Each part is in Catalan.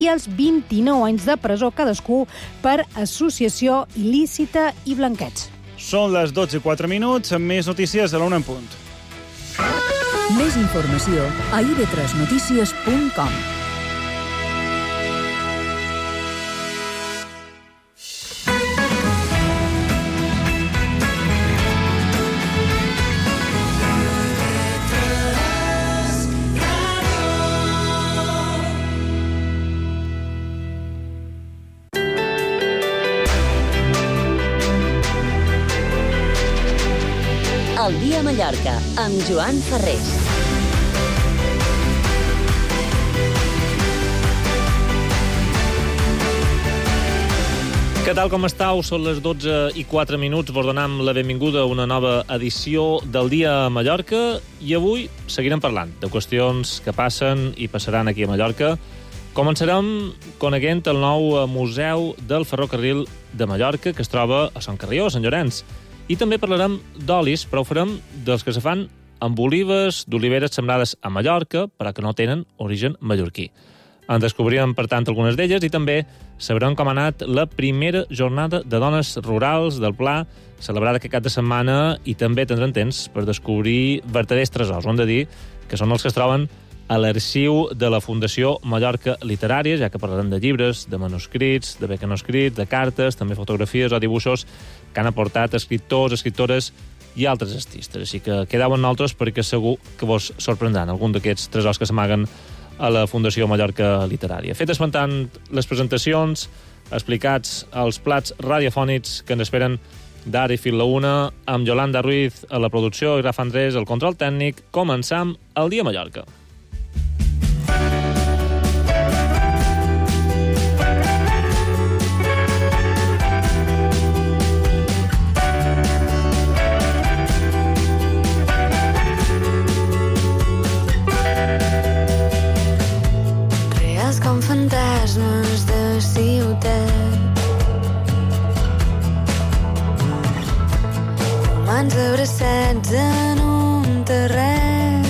i els 29 anys de presó cadascú per associació il·lícita i blanqueig. Són les 12:04, amb més notícies a la 1 en punt. Més informació a ib3notícies.com. El dia a Mallorca, amb Joan Ferrés. Què tal, com estàu? Són les 12:04. Vos donem la benvinguda a una nova edició del Dia a Mallorca i avui seguirem parlant de qüestions que passen i passaran aquí a Mallorca. Començarem coneguent el nou Museu del Ferrocarril de Mallorca, que es troba a Sant Carrió, a Sant Llorenç. I també parlarem d'olis, però ho farem dels que se fan amb olives d'oliveres sembrades a Mallorca, però que no tenen origen mallorquí. En descobrirem, per tant, algunes d'elles i també sabrem com ha anat la primera jornada de dones rurals del Pla, celebrada aquest cap de setmana, i també tindrem temps per descobrir verdaders tresors. Ho hem de dir que són els que es troben a l'arxiu de la Fundació Mallorca Literària, ja que parlarem de llibres, de manuscrits, de bé que no escrits, de cartes, també fotografies o dibuixos que han aportat escriptors, escriptores i altres artistes. Així que quedeu amb nosaltres perquè segur que vos sorprendran algun d'aquests tresors que s'amaguen a la Fundació Mallorca Literària. Fet esmentant les presentacions, explicats els plats radiofònics que ens esperen d'ara i fins la 1, amb Yolanda Ruiz a la producció i Rafa Andrés al control tècnic, començam el Dia a Mallorca. Com fantasmes de ciutat, humans abraçats en un terreny,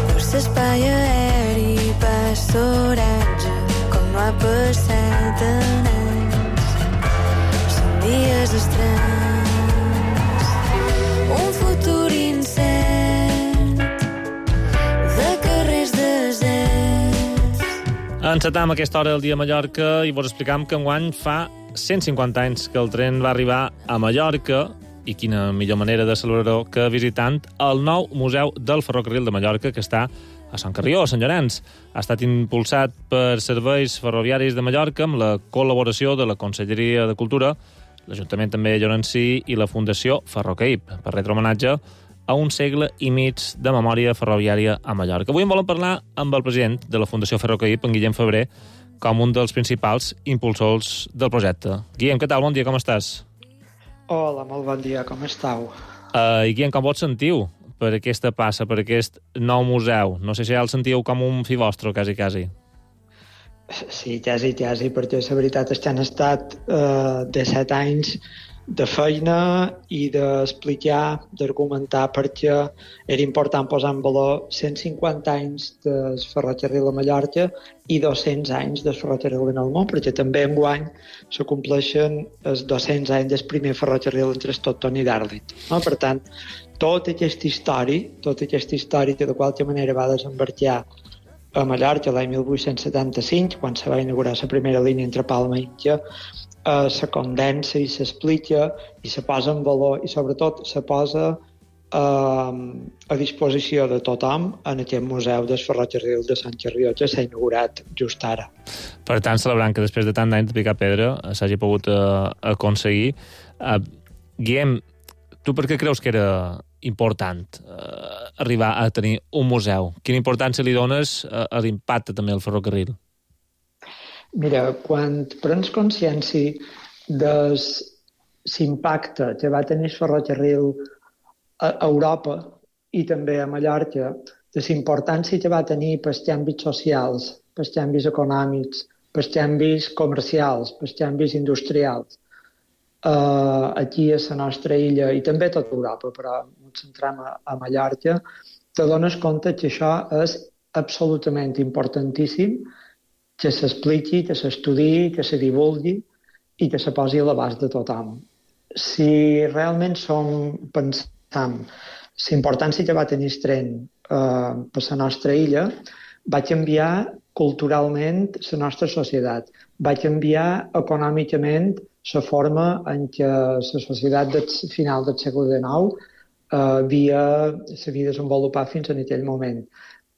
per l'espai aeri passa oratge com no ha passat en anys. Són dies estranys, un futur incert. Encetam aquesta hora del Dia a Mallorca i vos explicam que enguany fa 150 anys que el tren va arribar a Mallorca i quina millor manera de celebrar-ho que visitant el nou Museu del Ferrocarril de Mallorca, que està a Sant Carrió, a Sant Llorenç. Ha estat impulsat per Serveis Ferroviaris de Mallorca amb la col·laboració de la Conselleria de Cultura, l'Ajuntament també llorencí i la Fundació Ferrocaip, per retre homenatge a un segle i mig de memòria ferroviària a Mallorca. Avui en volem parlar amb el president de la Fundació Ferrocaip, en Guillem Febrer, com un dels principals impulsors del projecte. Guillem, què tal? Bon dia, com estàs? Hola, molt bon dia, com estàu? I Guillem, com vos sentiu per aquesta passa, per aquest nou museu? No sé si ja el sentiu com un fill vostre, quasi. Sí, quasi, perquè la veritat és que han estat 17 anys de feina i d'explicar, d'argumentar perquè era important posar en valor 150 anys del ferrocarril a Mallorca i 200 anys del ferrocarril en el món, perquè també enguany se compleixen els 200 anys del primer ferrocarril entre Stockton i Darlington. No? Per tant, tota aquesta història que de qualque manera va desembarcar a Mallorca l'any 1875, quan se va inaugurar la primera línia entre Palma i Inca, se condensa i s'explica i se posa en valor i sobretot se posa a disposició de tothom en aquest museu del ferrocarril de Sant Carrió, que s'ha inaugurat just ara. Per tant, celebrant que després de tant d'anys de picar pedra s'hagi pogut aconseguir. Guillem, tu per què creus que era important arribar a tenir un museu? Quina importància li dones a l'impacte també al ferrocarril? Mira, quan prens consciència de l'impacte que va tenir el ferrocarril a Europa i també a Mallorca, de la importància que va tenir pels canvis socials, pels canvis econòmics, pels canvis comercials, pels canvis industrials, aquí a la nostra illa i també a tota Europa, però ens centrem a Mallorca, te dones compte que això és absolutament importantíssim que s'expliqui, que s'estudiï, que se divulgui i que se posi a l'abast de tothom. Si realment pensam la importància que va tenir el tren per la nostra illa, va canviar culturalment la nostra societat, va canviar econòmicament la forma en què la societat del final del segle XIX s'havia desenvolupat fins en aquell moment.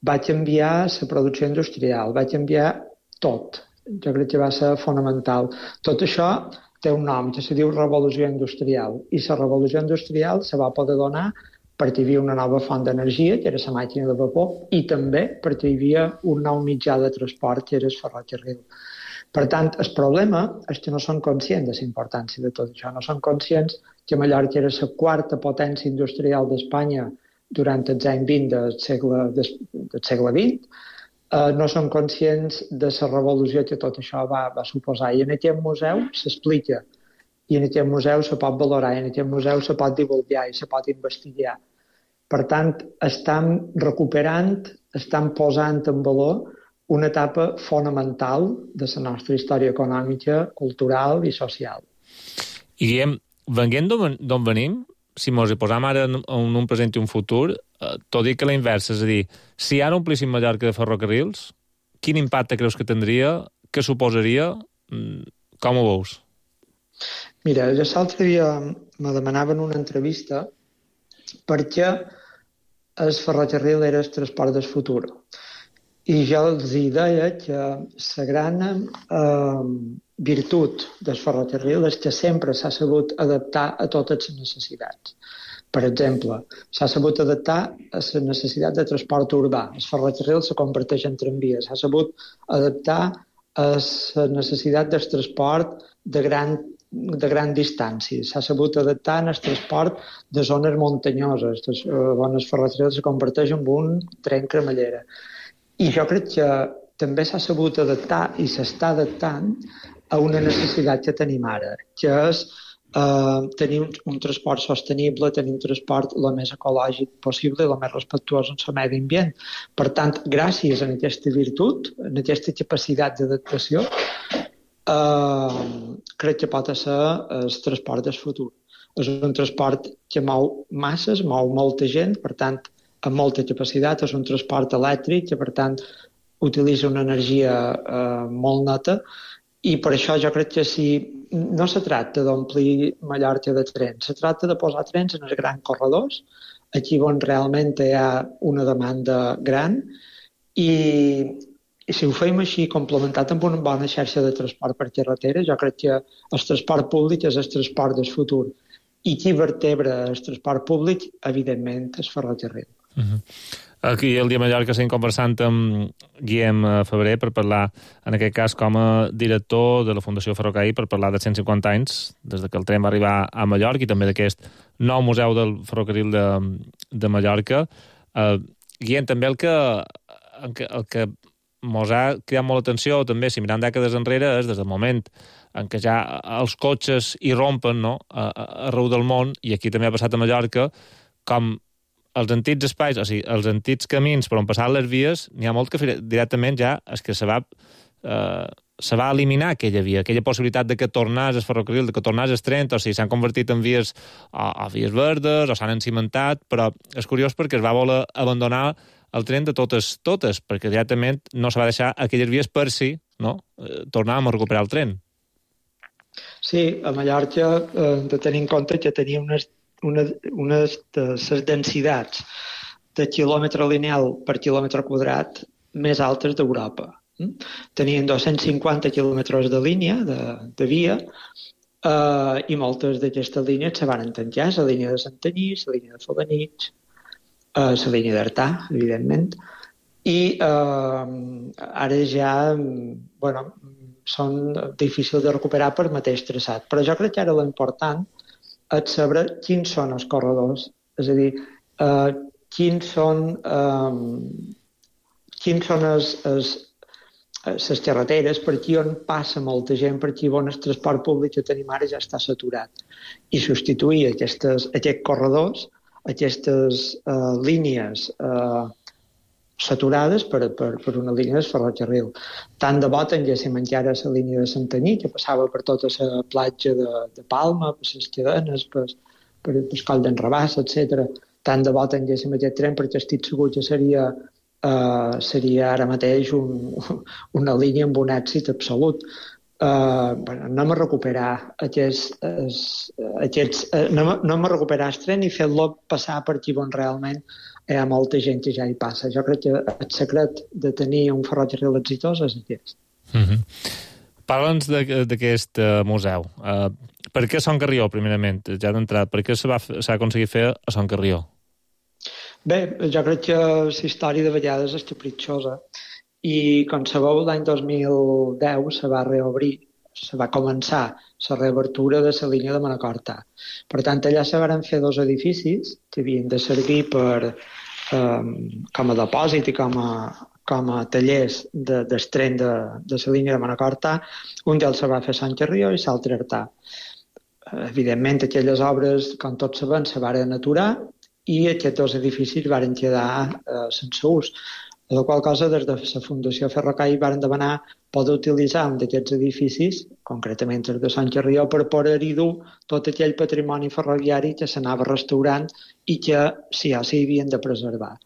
Va canviar la producció industrial, va canviar tot. Jo crec que va ser fonamental. Tot això té un nom que se diu revolució industrial, i la revolució industrial se va poder donar perquè hi havia una nova font d'energia, que era la màquina de vapor, i també perquè hi havia un nou mitjà de transport, que era el ferrocarril. Per tant, el problema és que no són conscients de la importància de tot això. No són conscients que Mallorca era la quarta potència industrial d'Espanya durant els anys 20 del segle XX. No són conscients de la revolució que tot això va suposar. I en aquest museu s'explica, i en aquest museu se pot valorar, i en aquest museu se pot divulgar i se pot investigar. Per tant, estan recuperant, estan posant en valor una etapa fonamental de la nostra història econòmica, cultural i social. I Guillem, venint d'on venim, si mos hi posam ara en un present i un futur, tot dic que la inversa, és a dir, si ara omplíssim Mallorca de ferrocarrils, quin impacte creus que tindria, què suposaria, com ho veus? Mira, jo l'altre dia me demanaven una entrevista perquè el ferrocarril era el transport del futur. I jo els deia que la gran virtut del ferrocarril és que sempre s'ha sabut adaptar a totes les necessitats. Per exemple, s'ha sabut adaptar a la necessitat de transport urbà. El ferrocarril se converteix en tramvia. S'ha sabut adaptar a la necessitat del transport de gran distància. S'ha sabut adaptar al transport de zones muntanyoses, on el ferrocarril se converteix en un tren cremallera. I jo crec que també s'ha sabut adaptar i s'està adaptant a una necessitat que tenim ara, que és tenir un transport sostenible, tenir un transport el més ecològic possible i el més respectuós amb el medi ambient. Per tant, gràcies a aquesta virtut, a aquesta capacitat d'adaptació, crec que pot ser el transport del futur. És un transport que mou masses, mou molta gent, per tant, amb molta capacitat, és un transport elèctric que, per tant, utilitza una energia molt neta, i per això jo crec que si no se tracta d'omplir Mallorca de trens, se tracta de posar trens en els grans corredors, aquí on realment hi ha una demanda gran, i si ho fem així, complementat amb una bona xarxa de transport per carretera, jo crec que el transport públic és el transport del futur. I qui vertebra el transport públic, evidentment, és ferrocarril. Aquí el dia a Mallorca estem conversant amb Guillem Febrer per parlar, en aquest cas, com a director de la Fundació Ferrocarril, per parlar de 150 anys, des que el tren va arribar a Mallorca, i també d'aquest nou museu del ferrocarril de Mallorca. Guillem, també el que mos ha cridat molt l'atenció, també, si mirant dècades enrere, és des del moment en què ja els cotxes hi rompen, no?, arreu del món, i aquí també ha passat a Mallorca, com els antics espais, o sigui, els antics camins per on passaven les vies, n'hi ha molt que directament ja és que se va eliminar aquella via, aquella possibilitat de que tornés el ferrocarril, de que tornés el tren, o sigui, s'han convertit en vies o vies verdes, o s'han encimentat, però és curiós perquè es va voler abandonar el tren de totes, perquè directament no se va deixar aquelles vies per si, no?, tornàvem a recuperar el tren. Sí, a Mallorca hem de tenir en compte que tenia unes de les densitats de quilòmetre lineal per quilòmetre quadrat més altes d'Europa. Tenien 250 quilòmetres de línia, de via, i moltes d'aquestes línies se van tancar, la línia de Santanyí, la línia de Felanitx, la línia d'Artà, evidentment, i ara ja, són difícils de recuperar per mateix traçat. Però jo crec que ara l'important és saber quins són els corredors, és a dir, quins són les carreteres, per aquí on passa molta gent, per aquí on el transport públic que tenim ara ja està saturat. I substituir aquests corredors, aquestes línies saturades per una línia de ferrocarril. Tant de bo tinguéssim encara la línia de Santanyí, que passava per tota la platja de Palma, per les cadenes, per Coll d'en Rabàs, etc. Tant de bo tinguéssim aquest tren, perquè estic segur que seria ara mateix una línia amb un èxit absolut. Anem a recuperar anem a recuperar el tren i fer-lo passar per aquí on realment hi ha molta gent que ja hi passa. Jo crec que el secret de tenir un ferrocarril exitós és aquest. Parla'ns d'aquest museu. Per què Son Carrió, primerament? Ja d'entrada, per què s'ha aconseguit fer a Son Carrió? Bé, jo crec que la història de vegades és capritxosa i, com sabeu, l'any 2010 se va reobrir, se va començar la reobertura de la línia de Manacor-Ta. Per tant, allà se van fer 2 edificis que havien de servir com a depòsit i com a tallers del tren de la línia de Manacor-Ta. Un d'ells se va fer a Sant Carrió i l'altre a Artà. Evidentment, aquelles obres, com tots sabem, se van aturar i aquests 2 edificis van quedar sense ús. Per la qual cosa, des de la Fundació Ferrocarril van demanar poder utilitzar un d'aquests edificis, concretament el de Sant Carrió, per poder-hi dur tot aquell patrimoni ferroviari que s'anava restaurant i que sí o sí havien de preservar.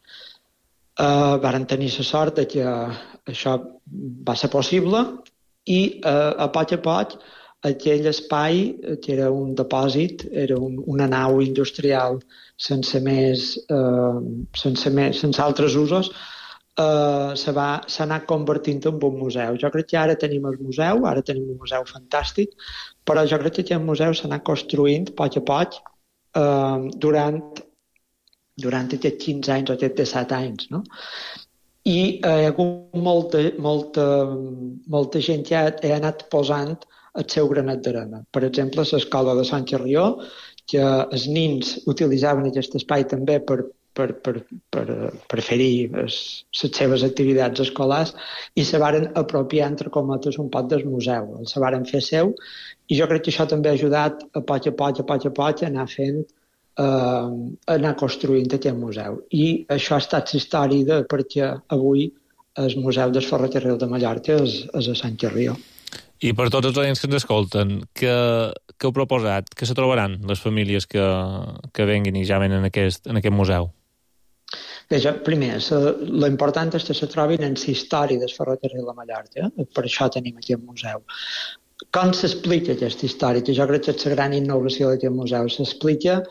Varen tenir la sort que això va ser possible i a poc aquell espai, que era un depòsit, era una nau industrial sense altres usos, s'ha anat convertint en un museu. Jo crec que ara tenim el museu, ara tenim un museu fantàstic, però jo crec que aquest museu s'ha anat construint a poc durant aquests 15 anys o aquests 17 anys, no? I hi ha hagut molta gent que ha anat posant el seu granet d'arena. Per exemple, l'escola de Sant Carrió, que els nins utilitzaven aquest espai també per fer-hi les seves activitats escolars i se varen apropiar, entre cometes, un poc del museu. El se varen fer seu i jo crec que això també ha ajudat a poc a anar fent, anar construint aquest museu. I això ha estat la història de perquè avui el Museu del Ferrocarril de Mallorca és a Sant Carrió. I per tots els oients que ens escolten, què heu proposat? Què se trobaran les famílies que venguin i ja venen en aquest museu? Bé, primer, l'important és que se trobin en la història del ferrocarril de Mallorca, per això tenim aquest museu. Com s'explica aquesta història? Que jo crec que és la gran innovació d'aquest museu. S'explica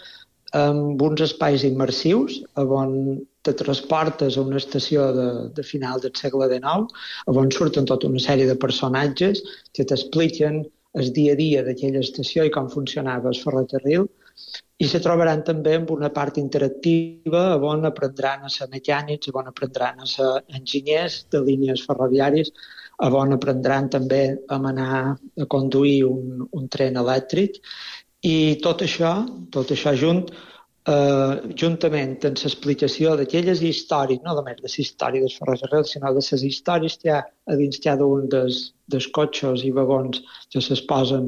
amb uns espais immersius on te transportes a una estació de final del segle XIX, on surten tota una sèrie de personatges que t'expliquen el dia a dia d'aquella estació i com funcionava el ferrocarril, i se trobaran també amb una part interactiva on aprendran a ser mecànics, on aprendran a ser enginyers de línies ferroviàries, on aprendran també a anar a conduir un tren elèctric, i tot això juntament amb l'explicació d'aquelles històries, no només de la història dels ferrocarrils, sinó de les històries que hi ha a dins cada un dels cotxes i vagons que s'exposen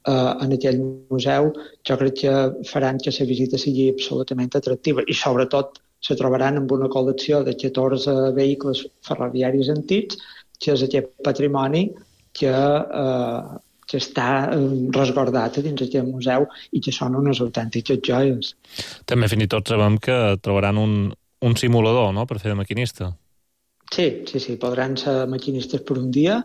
en aquell museu, jo crec que faran que la visita sigui absolutament atractiva i sobretot se trobaran amb una col·lecció de 14 vehicles ferroviaris antics, que és aquest patrimoni que està resguardat dins aquest museu i que són unes autèntiques joies. També fins i tot sabem que trobaran un simulador, no?, per fer de maquinista. Sí, podran ser maquinistes per un dia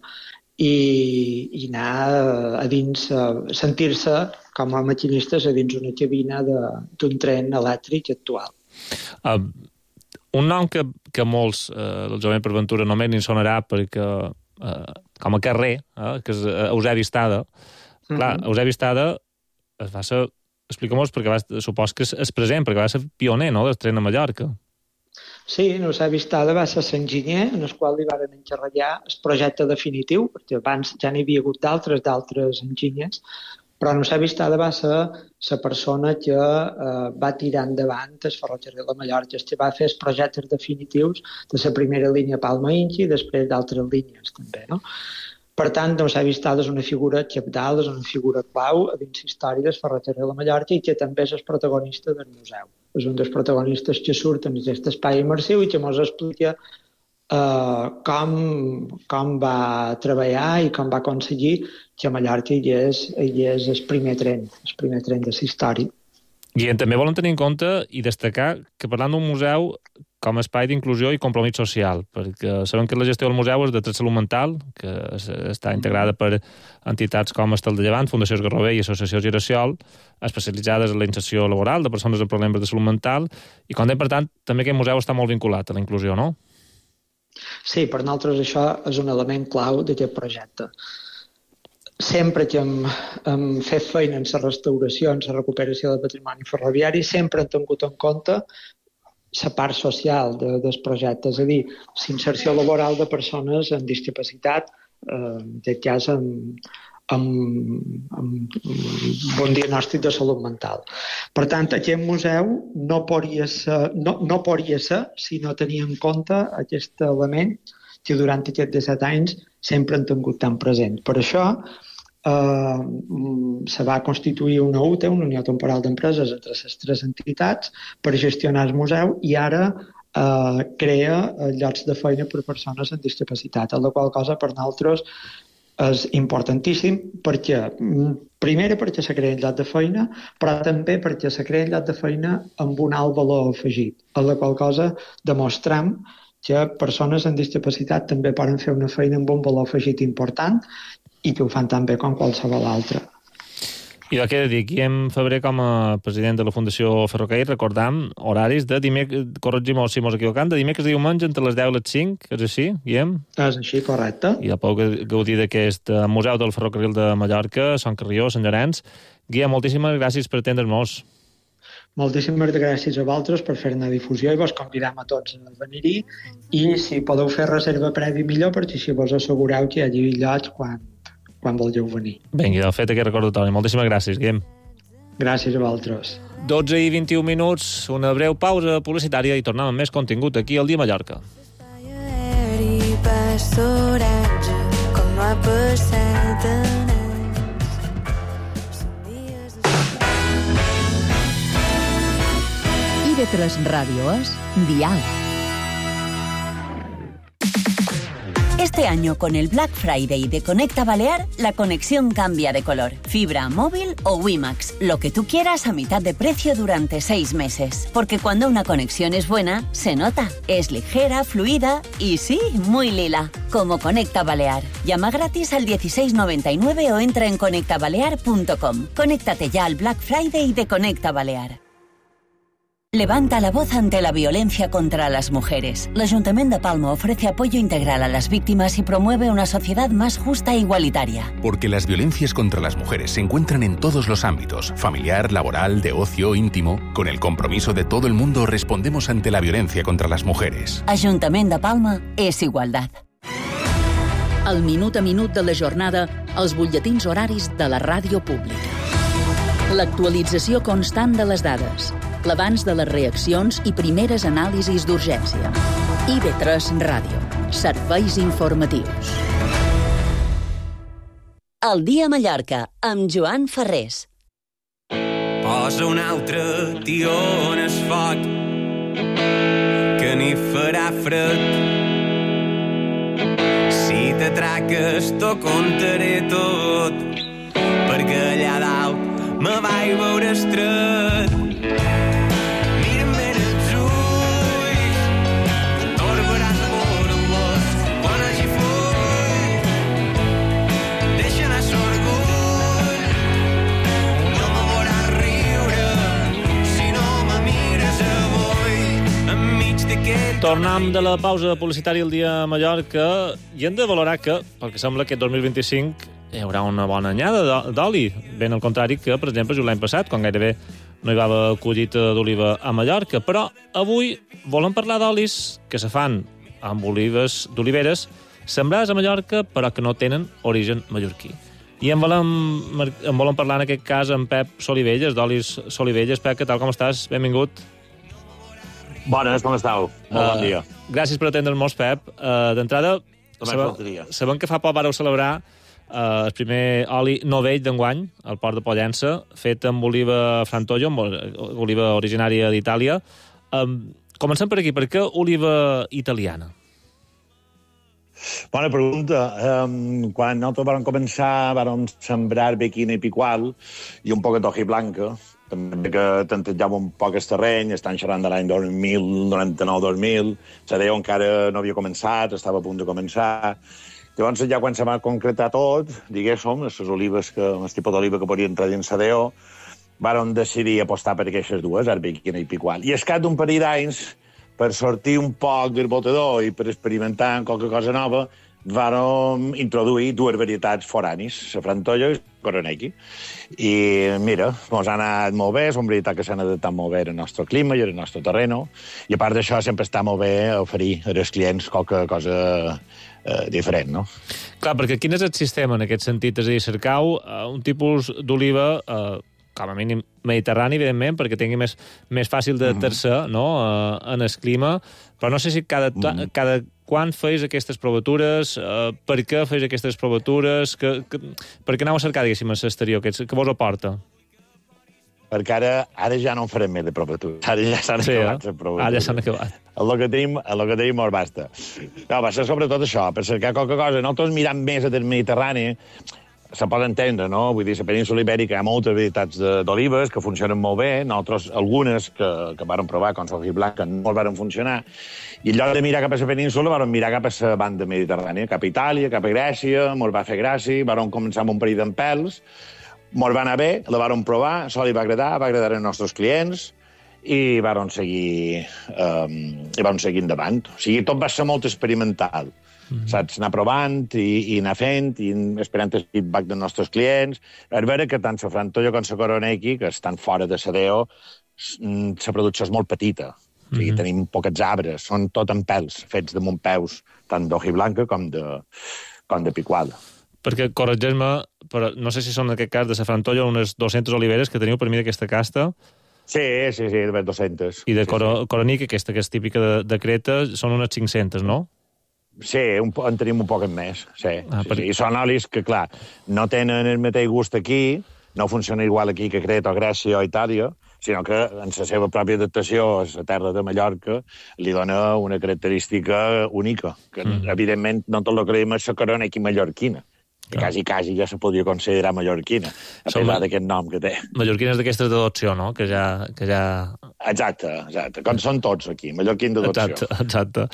i anar a dins, sentir-se com a maquinistes a dins una cabina d'un tren elèctric actual. Un nom que molts, el jovent per ventura, només ni sonarà perquè com a carrer, que és Eusebi Estada. Clar, Eusebi Estada es va ser, explica-mos, perquè supos que és present, perquè va ser pioner, no?, del tren a Mallorca. Sí, Eusebi Estada va ser l'enginyer en el qual li van encarregar el projecte definitiu, perquè abans ja n'hi havia hagut d'altres enginyers, però Eusebi Estada va ser la persona que va tirar endavant el ferrocarril de Mallorca, que va fer els projectes definitius de la primera línia Palma-Inchi i després d'altres línies també, no? Per tant, Eusebi Estada és una figura cabdal, és una figura clau a dins la història del ferrocarril de Mallorca i que també és el protagonista del museu. És un dels protagonistes que surten en aquest espai immersiu i que ens explica com va treballar i com va aconseguir que Mallorca hi és el primer tren de la història. I també volen tenir en compte i destacar que parlant d'un museu com a espai d'inclusió i compromís social, perquè sabem que la gestió del museu és de salut mental, que està integrada per entitats com Estel de Llevant, Fundació Esgarrover i Associació Girassol, especialitzades en la inserció laboral de persones amb problemes de salut mental, i com per tant, també aquest museu està molt vinculat a la inclusió, no? Sí, per nosaltres això és un element clau d'aquest projecte. Sempre que hem fet feina en la restauració, en la recuperació del patrimoni ferroviari, sempre hem tingut en compte la part social del projecte, és a dir, la inserció laboral de persones amb discapacitat, en aquest cas amb bon diagnòstic de salut mental. Per tant, aquest museu no podria ser si no tenia en compte aquest element que durant aquests 17 anys sempre han tingut tan present. Per això se va constituir una UTE, una Unió Temporal d'Empreses, entre les 3 entitats per gestionar el museu i ara crea llocs de feina per persones amb discapacitat, la qual cosa per nosaltres és importantíssim perquè, primera, perquè se creen llocs de feina, però també perquè se creen llocs de feina amb un alt valor afegit, la qual cosa demostrem que persones amb discapacitat també poden fer una feina amb un valor afegit important i que ho fan tan bé com qualsevol altre. I el que he de dir, Guillem Febrer, com a president de la Fundació Ferrocarril, recordam horaris de dimecres, corregim-ho si mos equivocam, de dimecres i diumenge entre les 10 i les 5, és així, Guillem? És així, correcte. I ja podeu gaudir d'aquest Museu del Ferrocarril de Mallorca, Sant Carrió, Sant Llorenç. Guillem, moltíssimes gràcies per atendre'ns. Moltíssimes gràcies a vosaltres per fer-ne difusió i vos convidam a tots a venir-hi i si podeu fer reserva prèvia millor perquè així vos assegureu que hi hagi llocs quan vulgueu venir. Vinga, del fet aquest recordatori. Moltíssimes gràcies, Guillem. Gràcies a vosaltres. 12 i 21 minuts, una breu pausa publicitària i tornem amb més contingut aquí al Dia Mallorca. Aeri passa oratge, com no ha passat en anys. Són dies IB3 Ràdio és Dial. Este año, con el Black Friday de Conecta Balear, la conexión cambia de color. Fibra, móvil o WiMAX, lo que tú quieras a mitad de precio durante 6 meses. Porque cuando una conexión es buena, se nota. Es ligera, fluida y sí, muy lila. Como Conecta Balear. Llama gratis al 1699 o entra en conectabalear.com. Conéctate ya al Black Friday de Conecta Balear. Levanta la voz ante la violencia contra las mujeres. El Ayuntamiento de Palma ofrece apoyo integral a las víctimas y promueve una sociedad más justa e igualitaria. Porque las violencias contra las mujeres se encuentran en todos los ámbitos, familiar, laboral, de ocio, íntimo. Con el compromiso de todo el mundo respondemos ante la violencia contra las mujeres. Ayuntamiento de Palma és igualtat. El minut a minut de la jornada, els butlletins horaris de la ràdio pública. L'actualització constant de les dades, l'abans de les reaccions i primeres anàlisis d'urgència. IB3 Ràdio. Serveis informatius. El Dia Mallorca, amb Joan Ferrés. Posa un altre tió en el foc, que n'hi farà fred. Si t'atraques, t'ho contaré tot, perquè allà dalt me vaig veure estret. Mira'm ben els ulls, que torbaràs amor amb l'os quan hagi full. Deixa anar l'orgull, no me veuràs riure si no me mires avui enmig d'aquest... Tornem de la pausa publicitària el dia a Mallorca i hem de valorar que, pel que sembla, aquest 2025 hi haurà una bona anyada d'oli. Ben al contrari que, per exemple, l'any passat, quan gairebé no hi va haver collita d'oliva a Mallorca. Però avui volem parlar d'olis que se fan amb d'oliveres sembrades a Mallorca però que no tenen origen mallorquí. I en volem parlar en aquest cas amb Pep Solivelles, d'Olis Solivelles. Pep, què tal, com estàs? Benvingut. Bones, com estàu? Molt bon dia. Gràcies per atendre'ns, Pep. D'entrada, sabem que fa poc vareu celebrar el primer oli novell d'enguany, al port de Pollença, fet amb oliva Frantoio, amb oliva originària d'Itàlia. Comencem per aquí. Per què oliva italiana? Bona pregunta. Quan nosaltres vam començar, vam sembrar bequina i picual i un poc de hojiblanca, també que tantejava un poc el terreny, estan xerrant de l'any 2000, 99-2000, Sadeo encara no havia començat, estava a punt de començar. Llavors, ja quan se va concretar tot, diguéssim, les olives, el tipus d'oliva que podien entrar dins Sadeo, vàrem decidir apostar per aquestes dues, arbequina i picual. I al cap d'un parell d'anys, per sortir un poc del botador i per experimentar amb qualque cosa nova, vàrem introduir dues varietats foranis, la Frantollo i la Coroneki. I mira, ens ha anat molt bé, és una varietat que s'han adaptat molt bé al nostre clima i al nostre terreny, i a part d'això sempre està molt bé oferir als clients qualque cosa diferent, no? Clar, perquè quin és el sistema en aquest sentit? És a dir, cercau un tipus d'oliva com a mínim mediterrani, evidentment, perquè tingui més fàcil d'adaptar-se en el clima, però no sé si cada quan feis aquestes provatures, per què feis aquestes provatures, per què aneu a cercar, diguéssim, a l'exterior, què vos aporta? Perquè ara ja no en farem més de provatures. Ara ja s'han acabat les provatures. Ara ja s'han acabat. El que tenim molt basta. No, va ser sobretot això, per cercar qualque cosa. Nosaltres mirant més del Mediterrani, se pot entendre, no? Vull dir, la península Ibèrica hi ha moltes varietats d'olives que funcionen molt bé, nosaltres algunes que vàrem provar, com la hojiblanca, no varen funcionar, i en lloc de mirar cap a la península, vàrem mirar cap a la banda mediterrània, cap a Itàlia, cap a Grècia, ens va fer gràcia, vàrem començar amb un parell d'empels, ens va anar bé, la vàrem provar, això li va agradar als nostres clients, i vàrem seguir endavant. O sigui, tot va ser molt experimental. Saps? Anar provant i anar fent i esperant el feedback dels nostres clients. És vera que tant la Frantollo com la Coroneki, que estan fora de Sadeo, la producció és molt petita. O sigui, tenim poquets arbres, són tot en pèls, fets damunt peus, tant d'hojiblanca com de picual. Perquè, corregeix-me, però no sé si són en aquest cas de la Frantollo unes 200 oliveres que teniu per mi d'aquesta casta. Sí, de 200. I de Coroneki, aquesta que és típica de Creta, són unes 500, no? Sí, en tenim un poc més, sí. I són olis que, clar, no tenen el mateix gust aquí, no funciona igual aquí que Creta o Grècia o Itàlia, sinó que en la seva pròpia adaptació a la terra de Mallorca li dona una característica única, que evidentment no tot el que diem és la Coroneki mallorquina, que quasi ja se podria considerar mallorquina, a pesar d'aquest nom que té. Mallorquines d'aquestes d'adopció, no? Que ja... Exacte, com són tots aquí, mallorquins d'adopció. Exacte.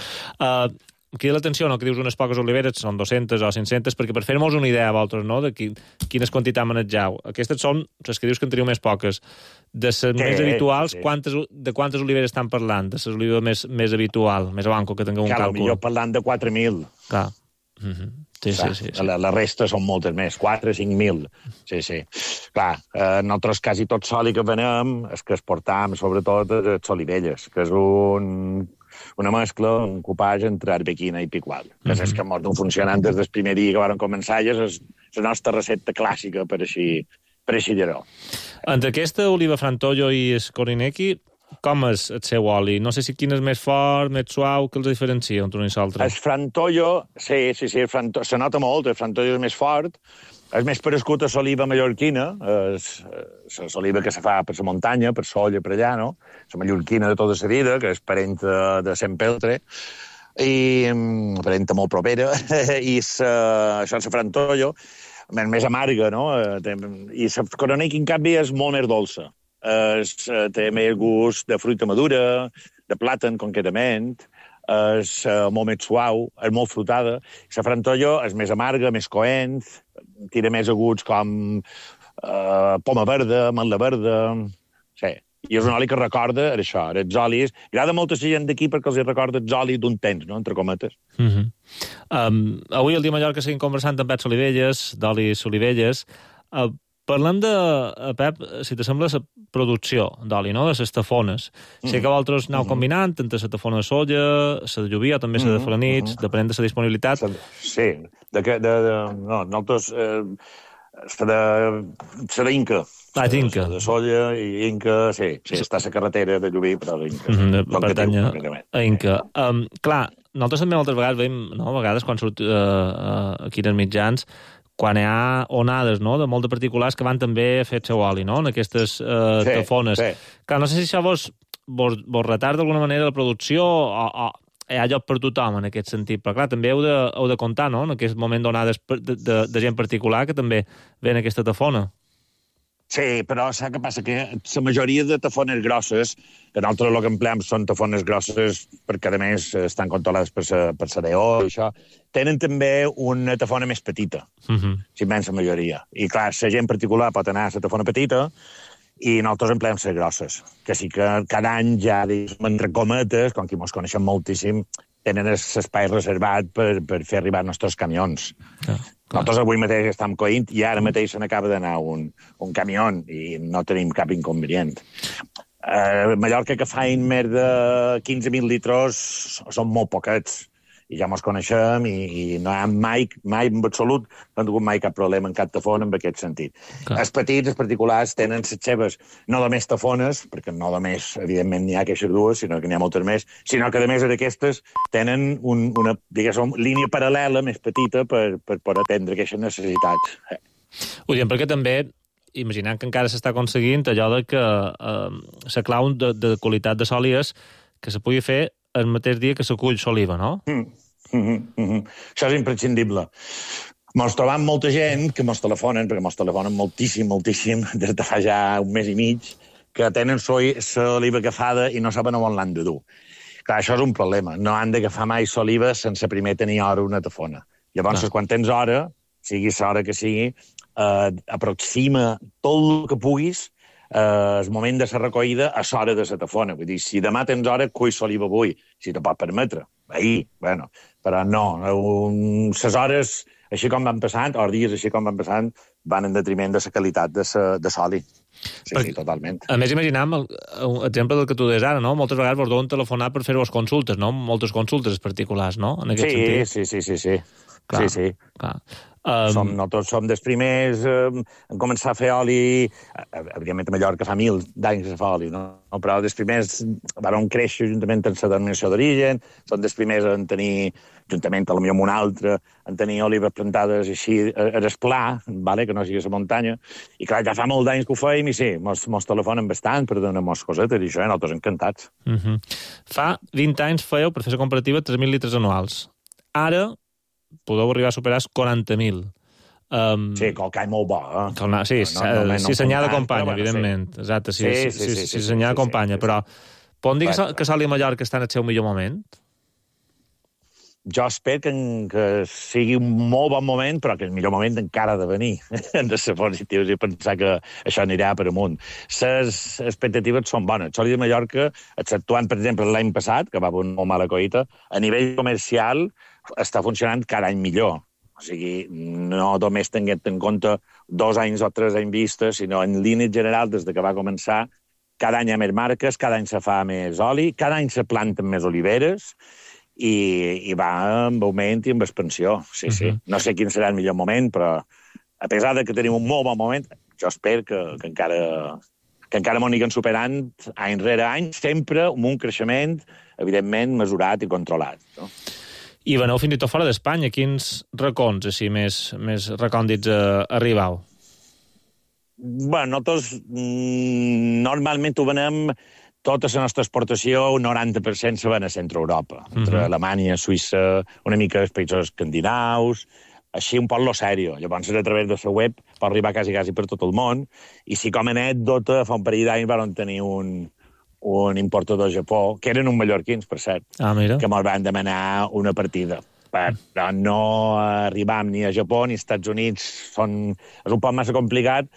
Crida l'atenció, no?, que dius unes poques oliveres, són 200 o 500, perquè per fer-nos una idea a vosaltres, no?, de quines quantitats manegeu. Aquestes són les que dius que en teniu més poques. De les més habituals, de quantes oliveres estan parlant? De les olives més habitual, més banco, que tingueu un càlcul? Millor parlant de 4.000. Clar. Sí. La resta són moltes més, 4 o 5.000. Sí. Clar, nosaltres quasi tot soli que venem, és que exportam, sobretot, les olivelles, que és una mescla, un copatge entre arbequina i picual. Que és que ens funcionant des del primer dia que vàrem començar, i és la nostra recepta clàssica per així dir-ho. Entre aquesta oliva Frantollo i el Coroneki, com és el seu oli? No sé si quin és més fort, més suau, que els diferencia entre un i l'altre. El Frantollo, sí, se nota molt, el Frantollo és més fort, és més parescut a l'oliva mallorquina, l'oliva que se fa per la muntanya, per Solla, per allà, no? La mallorquina de tota la vida, que és parent de Sant Peltre, i parenta molt propera, i això és la Frantollo, més amarga, no? I la Coroneki, en canvi, és molt més dolça. Té més gust de fruita madura, de plàtan, concretament, és molt més suau, és molt frutada. La Frantollo és més amarga, més coent, tira més aguts com poma verda, ametla verda... Sí, i és un oli que recorda això, els olis... Agrada molta gent d'aquí perquè els recorda els olis d'un temps, no?, entre cometes. Avui al Dia Mallorca seguim conversant amb Pep Solivelles, d'Olis Solivelles. Parlem de, Pep, si t'assembla, la producció d'oli, no?, de les tafones. Sé que vosaltres aneu combinant entre la tafona de soja, la de lluvia, també la de falanits, depenent de la disponibilitat. Sí, nosaltres... la d'Inca. Inca. De soja i Inca, sí, està a la carretera de Llubí, però l'Inca. Pertany a Inca. Clar, nosaltres també moltes vegades veiem, no?, a vegades quan surt aquí en els mitjans, quan hi ha onades, no?, de molts particulars que van també a fer el seu oli, no?, en aquestes tafones. Clar, no sé si això vos retarda d'alguna manera la producció o hi ha lloc per tothom en aquest sentit, però clar, també heu de comptar, no?, en aquest moment d'onades de gent particular que també ve en aquesta tafona. Sí, però saps què passa? Que la majoria de tafones grosses, que nosaltres el que empleem són tafones grosses perquè, a més, estan controlades per la DO i això, tenen també una tafona més petita, la immensa majoria. I clar, la gent particular pot anar a la tafona petita i nosaltres empleem les grosses, que sí que cada any ja, entre cometes, com que ens coneixem moltíssim, tenen l'espai reservat per fer arribar els nostres camions. Nosaltres avui mateix estem coint i ara mateix se n'acaba d'anar un camió i no tenim cap inconvenient. A Mallorca, que fain més de 15.000 litres, són molt poquets. I ja ens coneixem i no hi ha mai en absolut, no hem tingut mai cap problema en cap tafona en aquest sentit. Els petits, els particulars, tenen les seves, no només tafones, perquè no només, evidentment, n'hi ha aquestes dues, sinó que n'hi ha moltes més, sinó que, a més d'aquestes, tenen una, diguéssim, línia paral·lela més petita per atendre aquestes necessitats. Ho diem perquè també, imaginant que encara s'està aconseguint allò de que la clau de qualitat de sòl és que se pugui fer el mateix dia que s'acull l'oliva, no? Això és imprescindible. Mos trobam molta gent que mos telefonen, perquè mos telefonen moltíssim, des de fa ja un mes i mig, que tenen l'oliva agafada i no saben on l'han de dur. Clar, això és un problema. No han d'agafar mai l'oliva sense primer tenir hora una tafona. Llavors, quan tens hora, sigui l'hora que sigui, aproxima tot el que puguis el moment de la recollida a l'hora de la tafona. Vull dir, si demà tens hora, cull l'oliva avui, si te pot permetre. Ahir, bueno, però no. Les hores, així com van passant, o els dies així com van passant, van en detriment de la qualitat de l'oli. Sí, totalment. A més, imaginem l'exemple del que tu deies ara, no? Moltes vegades vos deuen telefonar per fer-vos consultes, no? Moltes consultes particulars, no? En aquest sentit. Sí. Clar. Nosaltres som dels primers en començar a fer oli, evidentment a Mallorca fa 1000 d'anys que se fa oli, no? Però dels primers van créixer juntament amb la denominació d'origen, són dels primers en tenir, juntament potser amb un altre, en tenir olives plantades així a l'esplà, que no sigui a la muntanya, i clar, ja fa molt d'anys que ho feim i sí, mos telefonen bastant per donar-nos cosetes i això, nosaltres encantats. Fa 20 anys fèieu, per fer la comparativa, 3.000 litres anuals. Ara podeu arribar a superar els 40.000. Sí, que el call molt bo. Sí, si senyà d'acompanya, evidentment. Exacte, si senyà d'acompanya. Però podem dir que Sol i Mallorca estan al seu millor moment? Jo espero que sigui un molt bon moment, però que el millor moment encara ha de venir. Hem de ser positius i pensar que això anirà per amunt. Les expectatives són bones. Sol i Mallorca, exceptuant, per exemple, l'any passat, que va haver una molt mala collita, a nivell comercial està funcionant cada any millor. O sigui, no només tenint en compte 2 anys o 3 anys vistes, sinó en línia general, des que va començar, cada any hi ha més marques, cada any se fa més oli, cada any se planten més oliveres i va amb augment i amb expansió. Sí. No sé quin serà el millor moment, però a pesar de que tenim un molt bon moment, jo espero que encara m'ho aniran superant any rere any, sempre amb un creixement, evidentment, mesurat i controlat. No? I veneu fins i tot fora d'Espanya. Quins racons així més recòndits arribau? Bé, nosaltres normalment ho venem tota la nostra exportació, un 90% se ven a Centre Europa, entre Alemanya, Suïssa, una mica els països escandinaus, així un poc lo sèrio. Llavors, a través de la web pot arribar quasi per tot el món, i si com a anècdota, fa un parell d'anys van tenir un importador de Japó, que eren uns mallorquins, per cert, que ens van demanar una partida. Però no arribam ni a Japó ni als Estats Units. És un poc massa complicat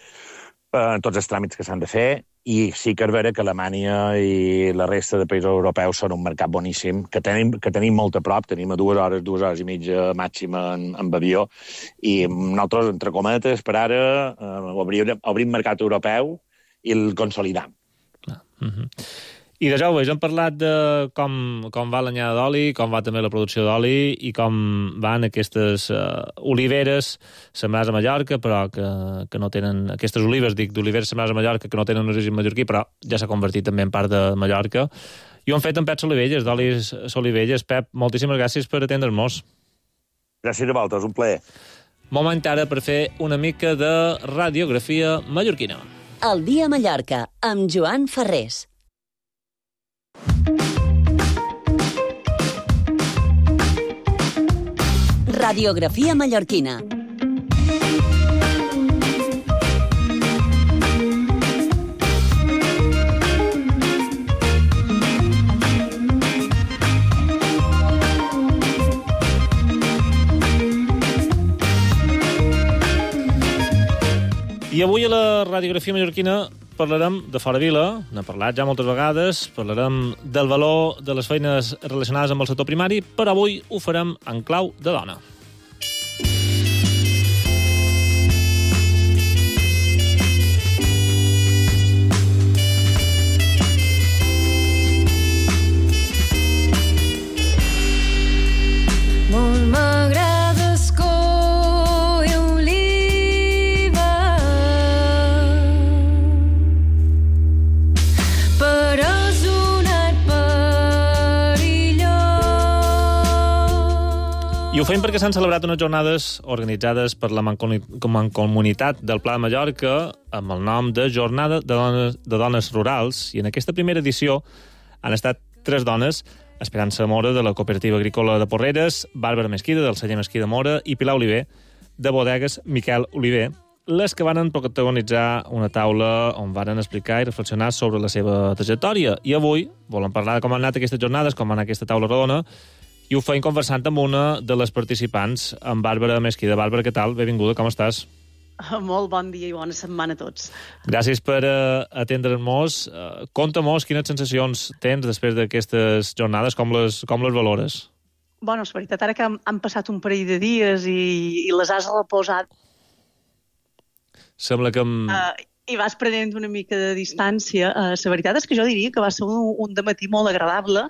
tots els tràmits que s'han de fer, i sí que és vera que Alemanya i la resta de països europeus són un mercat boníssim, que tenim molt a prop, tenim a 2 hores i mitja màxima en avió, i nosaltres, entre cometes, per ara obrim mercat europeu i el consolidam. I de joves, hem parlat de com va l'anyada d'oli, com va també la producció d'oli i com van aquestes oliveres sembrades a Mallorca, però que no tenen... Aquestes olives, d'oliveres sembrades a Mallorca, que no tenen un origen mallorquí, però ja s'ha convertit també en part de Mallorca. I ho han fet en Pep Solivelles, d'Olis Solivelles. Pep, moltíssimes gràcies per atendre'ns. Gràcies a vosaltres, un plaer. Moment ara per fer una mica de radiografia mallorquina. El dia a Mallorca, amb Joan Ferrés. Radiografia mallorquina. I avui a la radiografia mallorquina parlarem de fora vila, n'hem parlat ja moltes vegades, parlarem del valor de les feines relacionades amb el sector primari, però avui ho farem en clau de dona. Molt m'agrades coi oliva, però és un art perillós. I ho fem perquè s'han celebrat unes jornades organitzades per la Mancomunitat del Pla de Mallorca amb el nom de Jornada de Dones Rurals, i en aquesta primera edició han estat 3 dones: Esperança Mora, de la Cooperativa Agrícola de Porreres, Bàrbara Mesquida, del celler Mesquí de Mora, i Pilar Oliver, de Bodegues Miquel Oliver, les que van protagonitzar una taula on van explicar i reflexionar sobre la seva trajectòria. I avui volem parlar de com han anat aquestes jornades, com va anar aquesta taula rodona, i ho feim conversant amb una de les participants, amb Bàrbara Mesquida. Bàrbara, què tal? Benvinguda, com estàs? Molt bon dia i bona setmana a tots. Gràcies per atendre'ns. Conta-mos quines sensacions tens després d'aquestes jornades, com les valores? Bueno, és veritat, ara que han passat un parell de dies i les has reposat Sembla que... i vas prenent una mica de distància. La veritat és que jo diria que va ser un dematí molt agradable,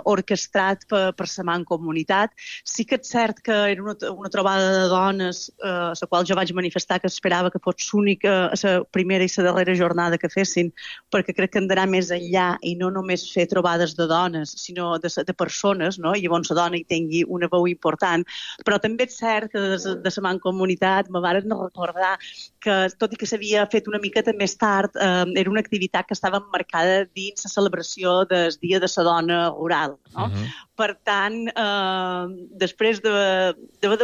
orquestrat per la Mancomunitat. Sí que és cert que era una trobada de dones, a la qual jo vaig manifestar que esperava que fos l'única, la primera i la darrera jornada que fessin, perquè crec que han d'anar més enllà i no només fer trobades de dones, sinó de persones, no? I llavors la dona hi tingui una veu important. Però també és cert que de la Mancomunitat me varen recordar que, tot i que s'havia fet una miqueta més tard, era una activitat que estava emmarcada dins la celebració del Dia de la Dona Rural. No? Per tant, després d'haver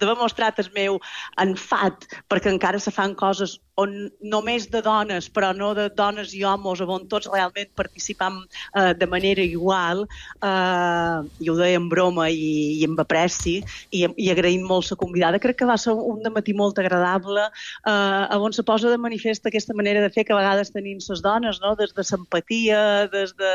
demostrat el meu enfat, perquè encara se fan coses on només de dones, però no de dones i homes, on tots realment participam de manera igual, i ho deia en broma i amb apreci, i agraïm molt la convidada. Crec que va ser un dematí molt agradable, on se posa de manifest aquesta manera de fer que a vegades tenim les dones, no? Des de l'empatia, des de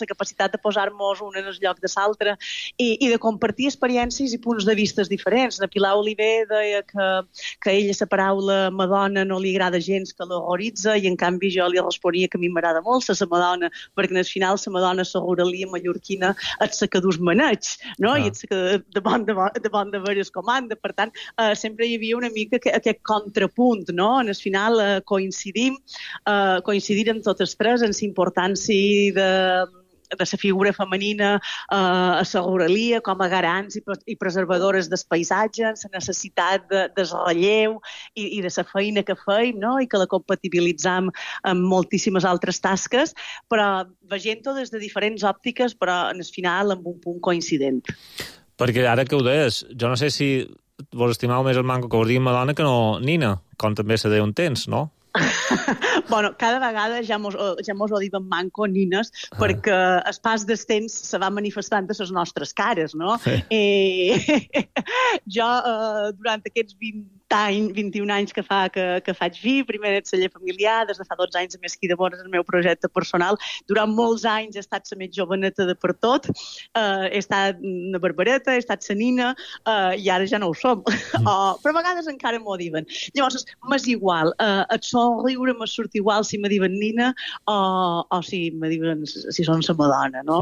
la capacitat de posar-nos un en el lloc de l'altre i de compartir experiències i punts de vista diferents. La Pilar Oliver deia que ella la paraula Madonna no li agrada gens, que l'horroritza, i en canvi jo li responia que a mi m'agrada molt la Madonna, perquè al final la Madonna, la ruralia mallorquina, és la que dus maneig, no? I és la que de bon de veres comanda. Per tant, sempre hi havia una mica aquest contrapunt, no? En el final coincidir en totes tres en la importància de la figura femenina a la ruralia com a garants i preservadores del paisatge, la necessitat del relleu i de la feina que feim, no? I que la compatibilitzam amb moltíssimes altres tasques, però veient-ho des de diferents òptiques, però en el final amb un punt coincident. Perquè ara que ho deies, jo no sé si vos estimau més el manco que vos diguin Madonna que no Nina, com també se deia un temps, no? Bueno, cada vegada ja mos ho diuen manco, nines, perquè el pas del temps se va manifestant a les nostres cares, no? Jo, durant aquests 21 anys que faig vi, primer en el celler familiar, des de fa 12 anys a Mesquí de Mora, el meu projecte personal. Durant molts anys he estat la més joveneta de per tot, he estat una barbareta, he estat la nina, i ara ja no ho som. Però a vegades encara m'ho diuen. Llavors, m'és igual, et somriure m'és surt igual si me diuen nina o si me diuen si són la Madonna, no?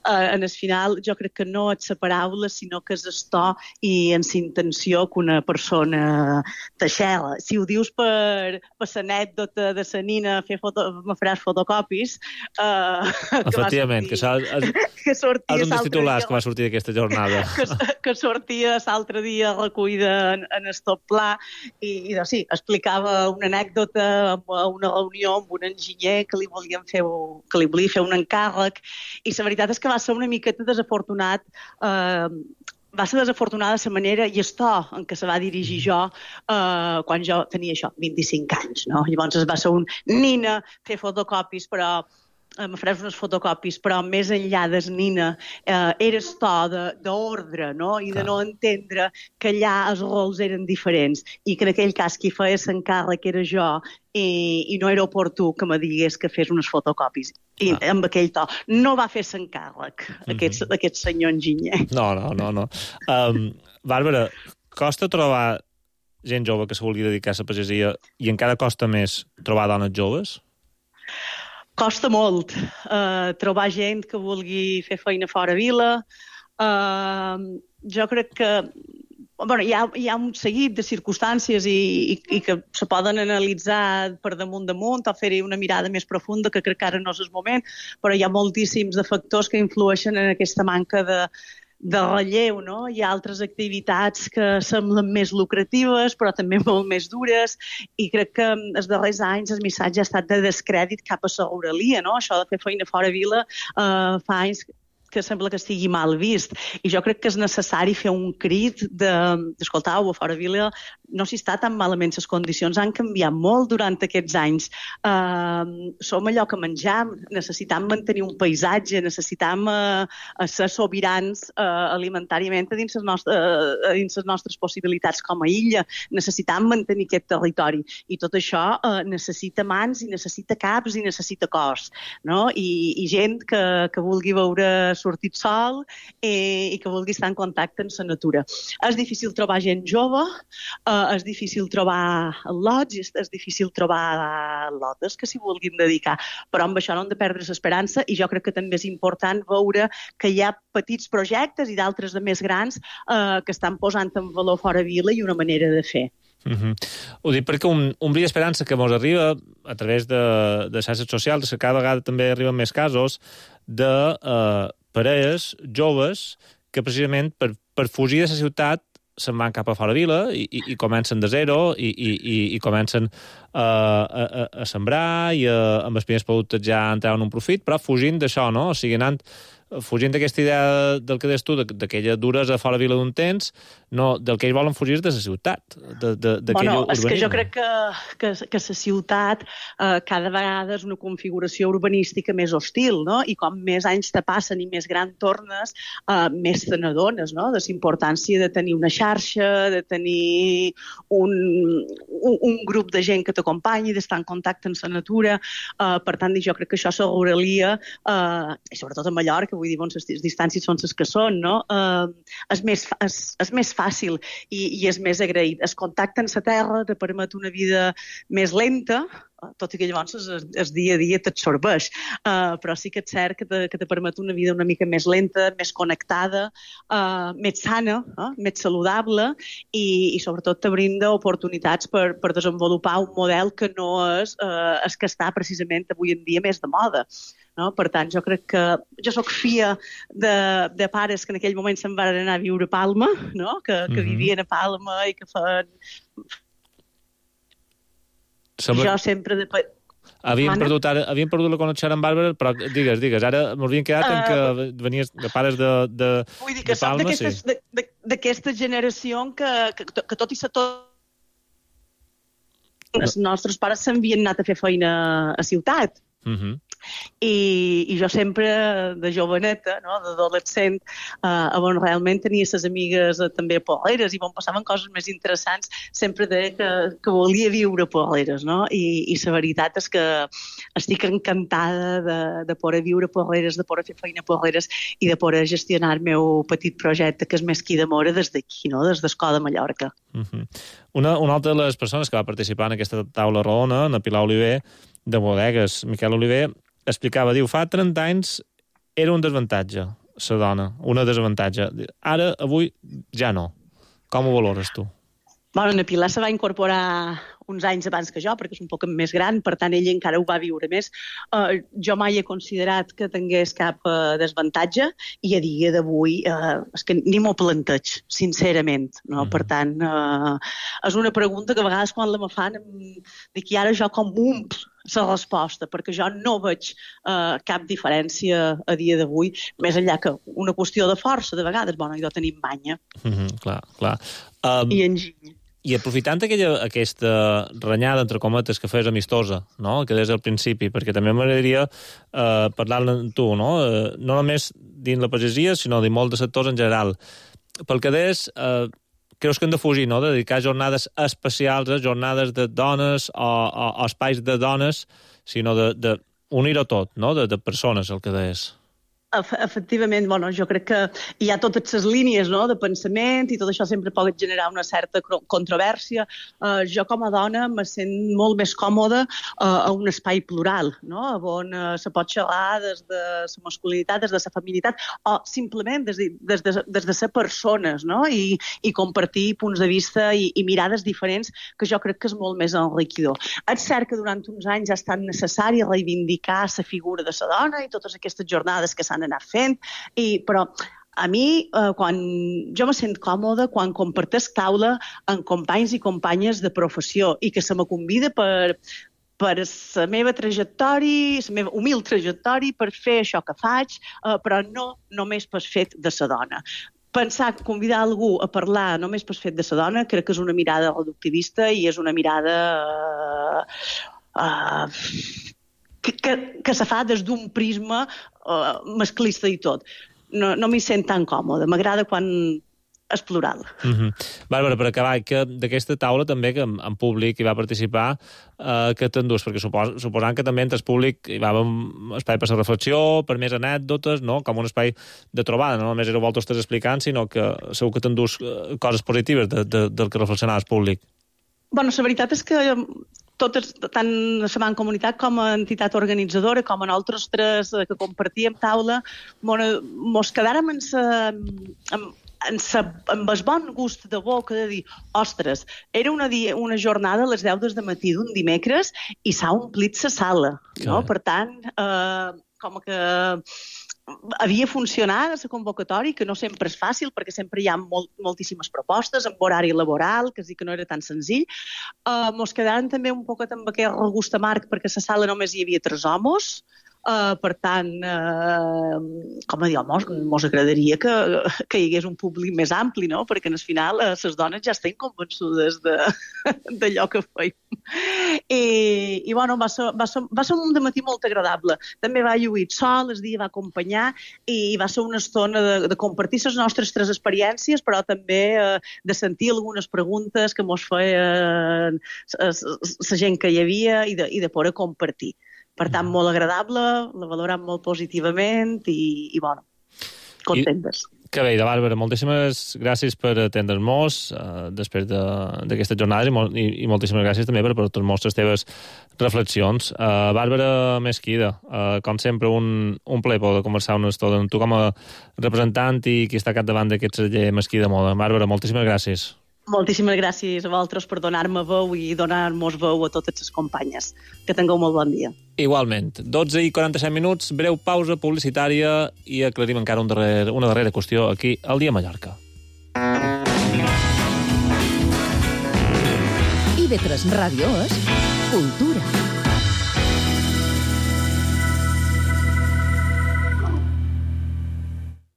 En el final, jo crec que no és la paraula, sinó que és el to i en la intenció que una persona t'aixela. Si ho dius per l'anècdota de la nina me faràs fotocopis... Efectivament, que és un dels titulars que va sortir d'aquesta jornada. Que sortia l'altre dia recollida en el tot pla i sí, explicava una anècdota a una reunió amb un enginyer que li volia fer un encàrrec, i la veritat és que va ser una miqueta desafortunat va ser desafortunada la manera i el to en què se va dirigir jo quan jo tenia això, 25 anys, no? Llavors va ser un nina, fer fotocopis, però em faràs unes fotocopis, però més enllà del nina era el to d'ordre, no? I de no entendre que allà els rols eren diferents i que en aquell cas qui feia l'encàrrec era jo i no era oportú que me digués que fes unes fotocopis. I amb aquell to. No va fer l'encàrrec, aquest senyor enginyer. No. Bàrbara, costa trobar gent jove que se vulgui dedicar a la pagesia i encara costa més trobar dones joves? Costa molt trobar gent que vulgui fer feina fora vila. Jo crec que hi ha un seguit de circumstàncies i que se poden analitzar per damunt o fer-hi una mirada més profunda, que crec que ara no és el moment, però hi ha moltíssims de factors que influeixen en aquesta manca de relleu, no? Hi ha altres activitats que semblen més lucratives, però també molt més dures, i crec que els darrers anys el missatge ha estat de descrèdit cap a la ruralia, no? Això de fer feina fora vila fa anys que sembla que estigui mal vist. I jo crec que és necessari fer un crit d'escoltau, a fora vila no s'hi està tan malament, les condicions han canviat molt durant aquests anys. Som allò que menjam, necessitam mantenir un paisatge, necessitam ser sobirans alimentàriament dins les nostres possibilitats com a illa, necessitam mantenir aquest territori. I tot això necessita mans, i necessita caps, i necessita cos, no? I gent que vulgui veure sortit sol i que vulgui estar en contacte amb la natura. És difícil trobar gent jove, és difícil trobar lots, és difícil trobar lotes que s'hi vulguin dedicar, però amb això no hem de perdre l'esperança, i jo crec que també és important veure que hi ha petits projectes i d'altres de més grans que estan posant en valor fora vila i una manera de fer. Ho dic perquè un bri d'esperança que ens arriba a través de xarxes socials, que cada vegada també arriben més casos de parelles joves que precisament per fugir de la ciutat se'n van cap a fora vila i comencen de zero i comencen a sembrar i amb els primers productes ja entraven un profit, però fugint d'això, no? O sigui, fugint d'aquesta idea del que deies tu, d'aquella duresa fora vila d'un temps, no, del que ells volen fugir de la ciutat, d'aquell urbanisme. És que jo crec que la ciutat cada vegada és una configuració urbanística més hostil, no? I com més anys te passen i més gran tornes, més te n'adones, no? De la importància de tenir una xarxa, de tenir un grup de gent que t'acompanyi, d'estar en contacte amb la natura. Per tant, jo crec que això la ruralia, i sobretot a Mallorca, vull dir, les distàncies són les que són, no? És més fàcil i és més agraït. El contacte amb la terra te permet una vida més lenta, tot i que llavors el dia a dia t'absorbeix, però sí que és cert que te permet una vida una mica més lenta, més connectada, més sana, més saludable i sobretot te brinda oportunitats per desenvolupar un model que no és el que està precisament avui en dia més de moda. No? Per tant, jo crec que jo soc filla de pares que en aquell moment se'n van anar a viure a Palma, no? Que vivien a Palma i que feien... Jo sempre... Havíem perdut la connexió amb Bàrbara, però digues, ara m'havíem quedat en que venies de pares de Palma. Vull dir que som d'aquesta generació que tot i ser tot... Els nostres pares s'havien anat a fer feina a ciutat. I jo sempre, de joveneta, no, d'adolescent, on realment tenia les amigues també a Porreres i on passaven coses més interessants, sempre deia que volia viure a Porreres, no? I la veritat és que estic encantada de poder viure a Porreres, de poder fer feina a Porreres i de poder gestionar el meu petit projecte, que és Mesquí de Móra, des d'aquí, no? Des d'Escó de Mallorca. Una altra de les persones que va participar en aquesta taula rodona, en Pilar Oliver, de bodegues, Miquel Oliver, explicava, diu, fa 30 anys era un desavantatge, la dona, una desavantatge. Ara, avui, ja no. Com ho valores tu? Bueno, en Pilar se va incorporar uns anys abans que jo, perquè és un poc més gran, per tant, ell encara ho va viure més. Jo mai he considerat que tingués cap desavantatge i a dia d'avui és que ni m'ho planteig, sincerament. No? Per tant, és una pregunta que a vegades quan la me fan dic, i ara jo com la resposta, perquè jo no veig cap diferència a dia d'avui, més enllà que una qüestió de força, de vegades, bueno, jo tenim banya. Clar. I enginy. I aprofitant aquesta renyada, entre cometes, que fes amistosa, no?, que des del principi, perquè també m'agradaria parlar-ne amb tu, no? No només dins la pagesia, sinó de molts de sectors en general. Pel que des, creus que hem de fugir, no?, de dedicar jornades especials, jornades de dones o espais de dones, sinó de unir-ho tot, no?, de persones, el que des. Efectivament, bueno, jo crec que hi ha totes les línies, no?, de pensament i tot això sempre pot generar una certa controvèrsia. Jo com a dona me sent molt més còmoda a un espai plural, no?, on se pot xerrar des de la masculinitat, des de la feminitat o simplement des de ser persones, no?, i compartir punts de vista i mirades diferents, que jo crec que és molt més enriquidor. És cert que durant uns anys ha estat necessari reivindicar la figura de la dona i totes aquestes jornades que s'han anar fent, però a mi, quan jo me sent còmoda quan comparteix taula amb companys i companyes de professió i que se me convida per la meva trajectòria, la meva humil trajectòria, per fer això que faig, però no només per fet de la dona. Convidar algú a parlar només per fet de la dona, crec que és una mirada reductivista i és una mirada que se fa des d'un prisma masclista i tot. No m'hi sent tan còmode. M'agrada quan és plural. Bàrbara, per acabar, que d'aquesta taula també, que en públic hi va participar, que t'endús, perquè suposant que també entre el públic hi va haver un espai per la reflexió, per més anècdotes, no?, com un espai de trobada, no només éreu vosaltres explicant, sinó que segur que t'endús coses positives del que reflexionava el públic. Bueno, la veritat és que totes, tant la Seman Comunitat com a entitat organitzadora, com a nosaltres tres que compartíem taula, mos quedàrem amb el bon gust de boca de dir, ostres, era una jornada a les 10 del matí d'un dimecres i s'ha omplit la sala, no? Per tant, com que havia funcionat la convocatòria, que no sempre és fàcil, perquè sempre hi ha moltíssimes propostes amb horari laboral, que sí que no era tan senzill. Mos quedàvem també un poquet amb aquest regust amarg, perquè a la sala només hi havia 3 homes. Per tant, com a dir, mos agradaria que hi hagués un públic més ampli, no? Perquè al final les dones ja estan convençudes d'allò que feim. I bueno, va ser un dematí molt agradable. També va lluir sol, el dia va acompanyar i va ser una estona de compartir les nostres 3 experiències, però també de sentir algunes preguntes que mos feien la gent que hi havia i de poder compartir. Per tant, molt agradable, la valorem molt positivament i bueno, contentes. Que bé, Bàrbara, moltíssimes gràcies per atendre'ns després d'aquestes jornades i moltíssimes gràcies també per portar-nos les teves reflexions. Bàrbara Mesquida, com sempre, un plaer poder conversar una estona amb tu com a representant i qui està capdavant d'aquest celler Mesquida Moda. Bàrbara, moltíssimes gràcies. Moltíssimes gràcies a vosaltres per donar-me veu i donar-nos veu a totes les companyes. Que tingueu molt bon dia. Igualment. 12:47, breu pausa publicitària i aclarim encara una darrera qüestió aquí al Dia Mallorca. IB3 Ràdio és cultura.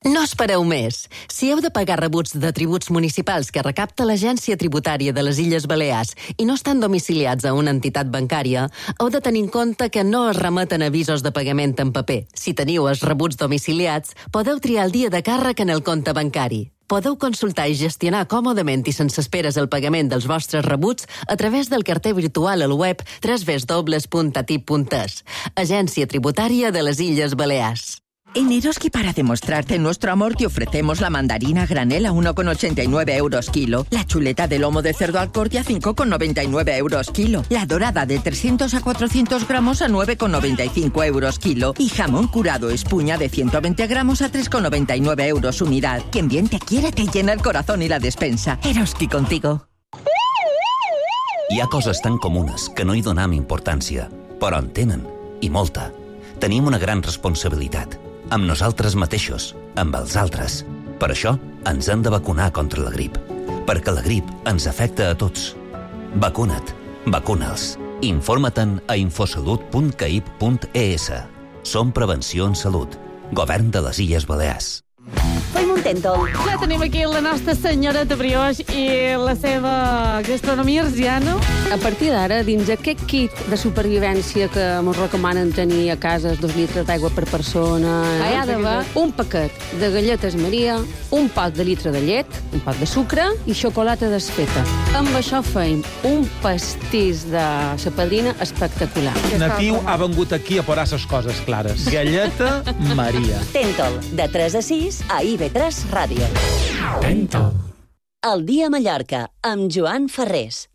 No espereu més. Si heu de pagar rebuts de tributs municipals que recapta l'Agència Tributària de les Illes Balears i no estan domiciliats a una entitat bancària, heu de tenir en compte que no es remeten avisos de pagament en paper. Si teniu els rebuts domiciliats, podeu triar el dia de càrrec en el compte bancari. Podeu consultar i gestionar còmodament i sense esperes el pagament dels vostres rebuts a través del carter virtual al web www.atip.es. Agència Tributària de les Illes Balears. En Eroski, para demostrarte nuestro amor, te ofrecemos la mandarina a granel a 1,89 euros kilo, la chuleta de lomo de cerdo al corte a 5,99 euros kilo, la dorada de 300 a 400 gramos a 9,95 euros kilo y jamón curado espuña de 120 gramos a 3,99 euros unidad. Quien bien te quiere te llena el corazón y la despensa. Eroski contigo. Hi ha coses tan comunes que no hi donem importància, però en tenen, i molta. Tenim una gran responsabilitat. Amb nosaltres mateixos, amb els altres. Per això, ens hem de vacunar contra la grip. Perquè la grip ens afecta a tots. Vacuna't. Vacuna'ls. Informa-te'n a infosalut.caip.es. Som Prevenció en Salut. Govern de les Illes Balears. Fem un tèntol. Ja tenim aquí la nostra senyoreta Brioix i la seva gastronomia arsiana. A partir d'ara, dins aquest kit de supervivència que ens recomanen tenir a casa 2 litres d'aigua per persona, hi ha d'haver un paquet de galletes Maria, un pot de litre de llet, un pot de sucre i xocolata desfeta. Amb això feim un pastís de sa padrina espectacular. Natiu ha vengut aquí a posar les coses clares. Galleta Maria. Tèntol, de 3 a 6 a IB3 Ràdio. Tèntol. El dia a Mallorca, amb Joan Ferrés.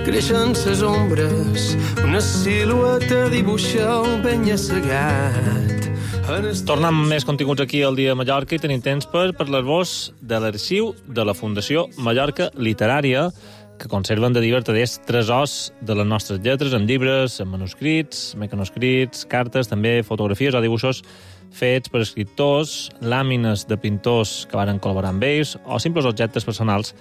Creixen ses ombres, una silueta dibuixa un penya-segat. Tornem amb més continguts aquí al Dia de Mallorca i tenim temps per parlar-vos de l'arxiu de la Fundació Mallorca Literària, que conserven de diversos tresors de les nostres lletres, en llibres, en manuscrits, mecanoscrits, cartes, també fotografies o dibuixos fets per escriptors, làmines de pintors que varen col·laborar amb ells o simples objectes personals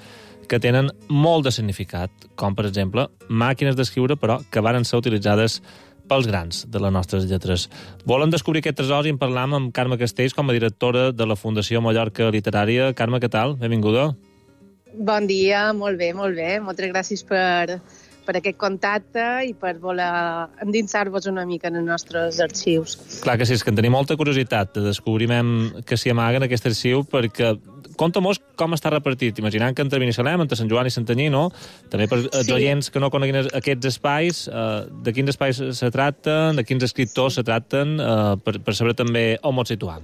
que tenen molt de significat, com, per exemple, màquines d'escriure, però que varen ser utilitzades pels grans de les nostres lletres. Volem descobrir aquest tresor i en parlam amb Carme Castells, com a directora de la Fundació Mallorca Literària. Carme, què tal? Benvinguda. Bon dia, molt bé, molt bé. Moltes gràcies per aquest contacte i per voler endinsar-vos una mica en els nostres arxius. Clar que sí, és que en tenim molta curiositat de descobrir què s'hi amaga en aquest arxiu, perquè conta-mos com està repartit, imaginant que entre Binissalem, entre Sant Joan i Santanyí, no? També per els oients que no coneguin aquests espais, de quins espais se tracten, de quins escriptors se tracten, per saber també on ens situam.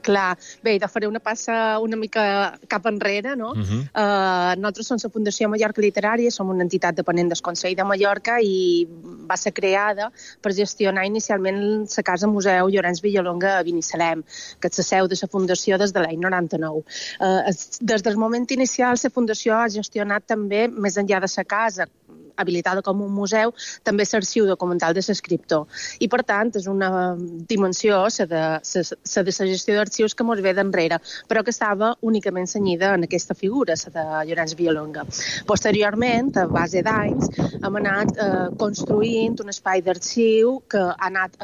Clar, bé, de faré una passa una mica cap enrere, no? Nosaltres som la Fundació Mallorca Literària, som una entitat dependent del Consell de Mallorca i va ser creada per gestionar inicialment la Casa Museu Llorenç Villalonga a Binissalem, que és la seu de la Fundació des de l'any 99. Des del moment inicial, la Fundació ha gestionat també, més enllà de la casa, habilitada com un museu, també l'arxiu documental de l'escriptor. I, per tant, és una dimensió, la de la gestió d'arxius, que ens ve d'enrere, però que estava únicament cenyida en aquesta figura, la de Llorenç Villalonga. Posteriorment, a base d'anys, hem anat construint un espai d'arxiu que ha anat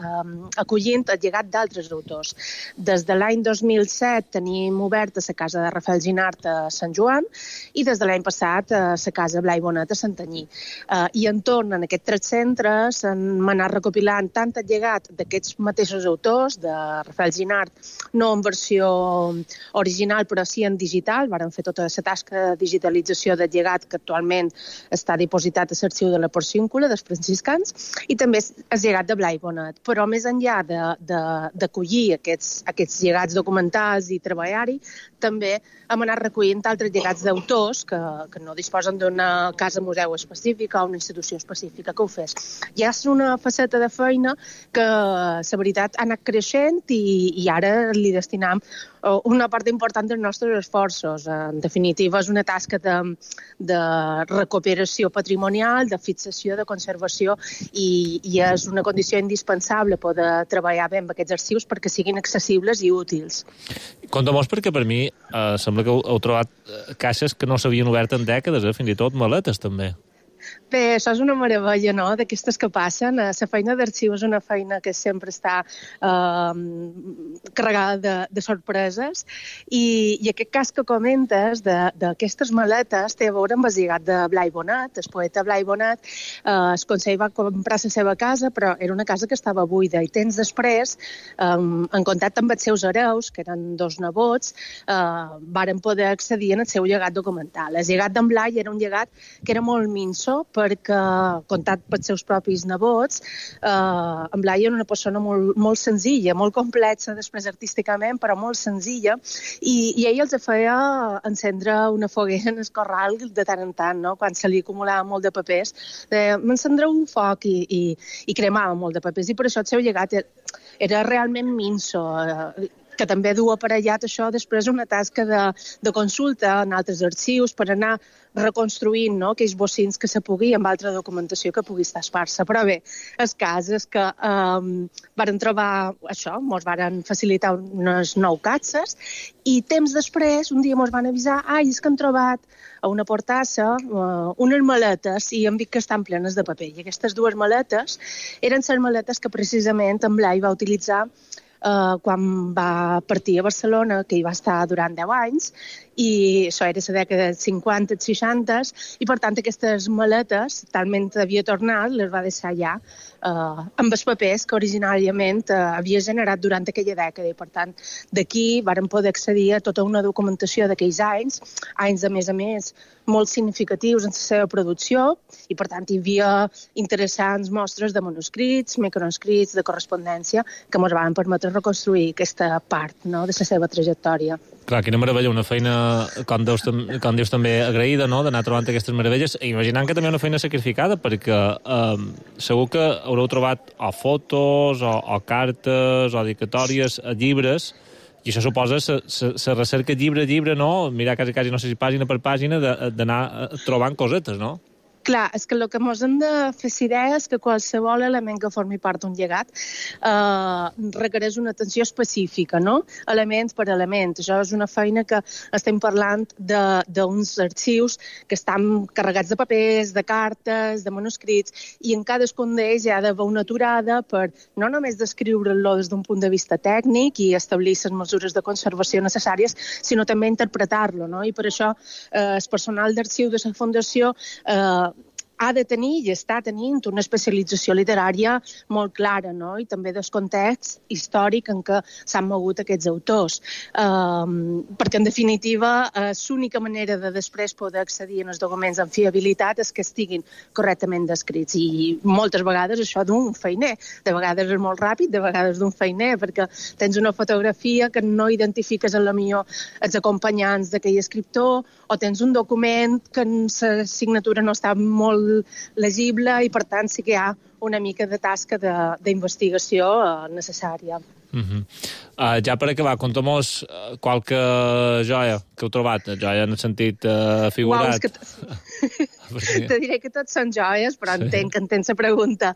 acollint el llegat d'altres autors. Des de l'any 2007 tenim oberta la casa de Rafael Ginart a Sant Joan i des de l'any passat la casa Blai Bonet a Santanyí. I entorn en aquests 3 centres hem anat recopilant tant el llegat d'aquests mateixos autors, de Rafael Ginart, no en versió original però sí en digital, varen fer tota la tasca de digitalització del llegat que actualment està dipositat a l'arxiu de la Porcíncula dels franciscans, i també el llegat de Blai Bonet. Però més enllà d'acollir aquests llegats documentals i treballar-hi, també hem anat recollint altres llegats d'autors que no disposen d'una casa museu específica o una institució específica que ho fes. Ja és una faceta de feina que, la veritat, ha anat creixent i ara li destinam una part important dels nostres esforços. En definitiva, és una tasca de recuperació patrimonial, de fixació, de conservació i és una condició indispensable poder treballar bé amb aquests arxius perquè siguin accessibles i útils. Conta-mos, perquè per mi sembla que heu trobat caixes que no s'havien obert en dècades, fins i tot maletes també. Bé, això és una meravella, no?, d'aquestes que passen. La feina d'arxiu és una feina que sempre està carregada de sorpreses i aquest cas que comentes d'aquestes maletes té a veure amb el llegat de Blai Bonet. El poeta Blai Bonet, el Consell va comprar la seva casa, però era una casa que estava buida i temps després, en contacte amb els seus hereus, que eren 2 nebots, varen poder accedir al seu llegat documental. El llegat d'en Blai era un llegat que era molt minso, perquè, contat pels seus propis nebots, en Blai era una persona molt senzilla, molt complexa després artísticament, però molt senzilla, i ell els feia encendre una foguera en el corral de tant en tant, no? Quan se li acumulava molt de papers, m'encendreu un foc i cremava molt de papers, i per això el seu llegat era realment minso, que també du aparellat això després una tasca de consulta en altres arxius per anar reconstruint, no?, aquells bocins que se pugui amb altra documentació que pugui estar esparsa. Però bé, el cas és que varen trobar això, ens varen facilitar unes 9 capses i temps després, un dia ens van avisar és que han trobat a una portassa unes maletes i hem vist que estan plenes de paper. I aquestes 2 maletes eren les maletes que precisament en Blai va utilitzar quan va partir a Barcelona, que hi va estar durant 10 anys, i això era la dècada dels 50, 60, i per tant aquestes maletes, talment havia tornat, les va deixar ja amb els papers que originàriament havia generat durant aquella dècada, i per tant d'aquí varen poder accedir a tota una documentació d'aquells anys a més, molt significatius en la seva producció, i per tant hi havia interessants mostres de manuscrits, microescrits, de correspondència, que ens van permetre reconstruir aquesta part, no?, de la seva trajectòria. Clar, quina meravella, una feina, com dius també, agraïda, no?, d'anar trobant aquestes meravelles, i imaginant que també una feina sacrificada, perquè segur que haureu trobat o fotos, o cartes, o dedicatòries, llibres, i això suposa la recerca llibre a llibre, no?, mirar quasi, no sé si pàgina per pàgina, d'anar trobant cosetes, no? Clar, és que el que ens hem de fer idea és que qualsevol element que formi part d'un llegat requereix una atenció específica, no? Element per element. Això és una feina que estem parlant d'uns arxius que estan carregats de papers, de cartes, de manuscrits, i en cadascun d'ells hi ha d'haver una aturada per no només descriure-lo des d'un punt de vista tècnic i establir les mesures de conservació necessàries, sinó també interpretar-lo, no? I per això el personal d'arxiu de la Fundació ha de tenir i està tenint una especialització literària molt clara, no?, i també del context històric en què s'han mogut aquests autors. Perquè, en definitiva, l'única manera de després poder accedir als documents amb fiabilitat és que estiguin correctament descrits. I moltes vegades això d'un feiner. De vegades és molt ràpid, de vegades d'un feiner, perquè tens una fotografia que no identifiques a la millor els acompanyants d'aquell escriptor, o tens un document que la signatura no està molt legible, i per tant sí que hi ha una mica de tasca d'investigació necessària. Ja per acabar, conta'm-nos qualque joia que heu trobat, joia en el sentit figurat. Te diré que tots són joies, però entenc que entens la pregunta.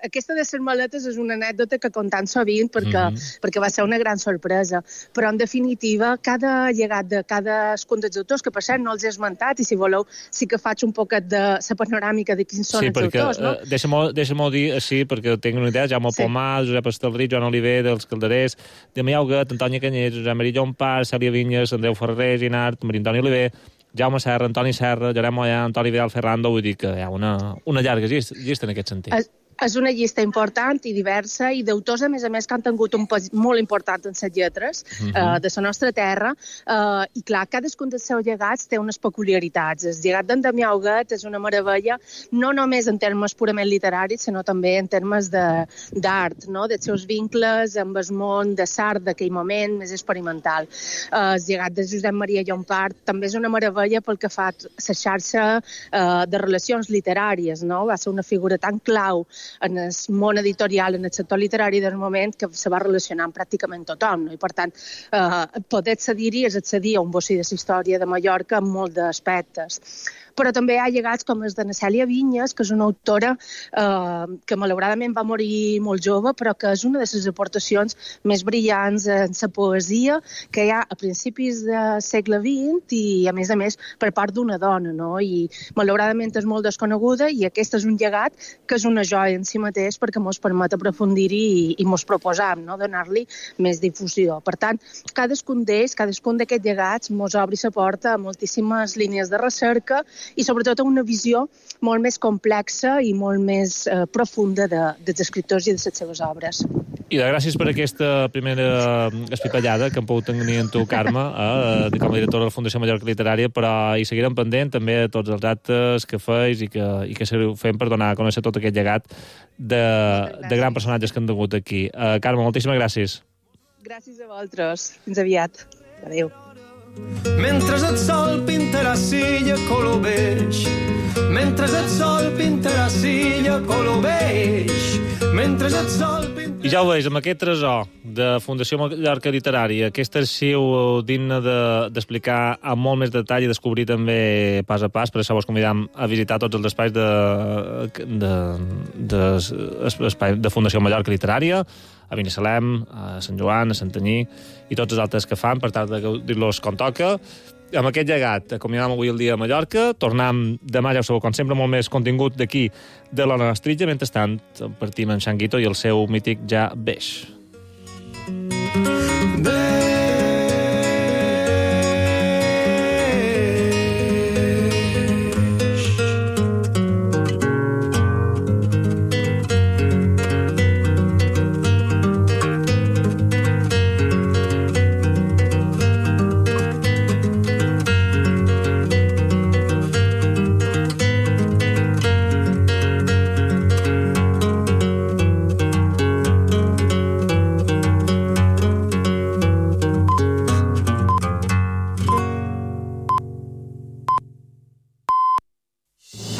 Aquesta de les maletes és una anècdota que contant sovint perquè va ser una gran sorpresa, però en definitiva cada llegat de cadascun dels autors, que per cert no els he esmentat, i si voleu sí que faig un poquet de la panoràmica de quins són els autors, no? Deixa-m'ho dir així, perquè tinc una idea: Jaume Pomar, Josep Estelrit, Joan Oliver, dels Calderers, Damià Huguet, Antònia Canyers, Josep Maria Llompart, Cèlia Vinyes, Andreu Ferrer, Ginart, Maria Antònia Oliver, Jaume Serra, Antoni Serra, Lloret Mollà, Antoni Vidal Ferrando. Vull dir que hi ha una llarga llista en aquest sentit. És una llista important i diversa, i d'autors, a més, que han tingut un pes molt important en les lletres de la nostra terra, i clar, cadascun dels seus llegats té unes peculiaritats. El llegat d'en Damià Huguet és una meravella, no només en termes purament literaris, sinó també en termes d'art, no?, dels seus vincles amb el món de l'art d'aquell moment més experimental. El llegat de Josep Maria Llompart també és una meravella pel que fa a la xarxa de relacions literàries, no? Va ser una figura tan clau en el món editorial, en el sector literari del moment, que se va relacionar amb pràcticament tothom, no? I per tant, poder accedir-hi és accedir a un bocí de la història de Mallorca en molts aspectes. Però també hi ha llegats com els de Cèlia Vinyes, que és una autora que malauradament va morir molt jove, però que és una de les aportacions més brillants en la poesia que hi ha a principis del segle XX, i a més per part d'una dona, no? I malauradament és molt desconeguda, i aquest és un llegat que és una joia en si mateix perquè ens permet aprofundir-hi i ens proposam, no?, donar-li més difusió. Per tant, cadascun d'aquests llegats ens obri la porta a moltíssimes línies de recerca i sobretot a una visió molt més complexa i molt més profunda dels escriptors i de les seves obres. I gràcies per aquesta primera espitallada que hem pogut tenir en tu, Carme, com a directora de la Fundació Mallorca Literària, però hi seguirem pendent també de tots els actes que feis i que seguiu fent per donar a conèixer tot aquest llegat de grans personatges que han tingut aquí. Carme, moltíssimes gràcies. Gràcies a vosaltres. Fins aviat. Adéu. Mentre el sol pintarà silla color beix, mentre el sol pintarà silla color beix, mentre el sol pintarà... I ja ho veus, amb aquest tresor de Fundació Mallorca Literària, aquest arxiu digne d'explicar amb molt més detall i descobrir també pas a pas, per això vos convidam a visitar tots els espais de Fundació Mallorca Literària, a Binissalem, a Sant Joan, a Santanyí i tots els altres que fan, per tal de dir-los com toca. Amb aquest llegat, acomiadam avui el dia a Mallorca, tornem demà, ja ho sabeu, com sempre, molt més contingut d'aquí de l'Ona Nostritja. Mentrestant, partim en Xanguito i el seu mític Ja Beix.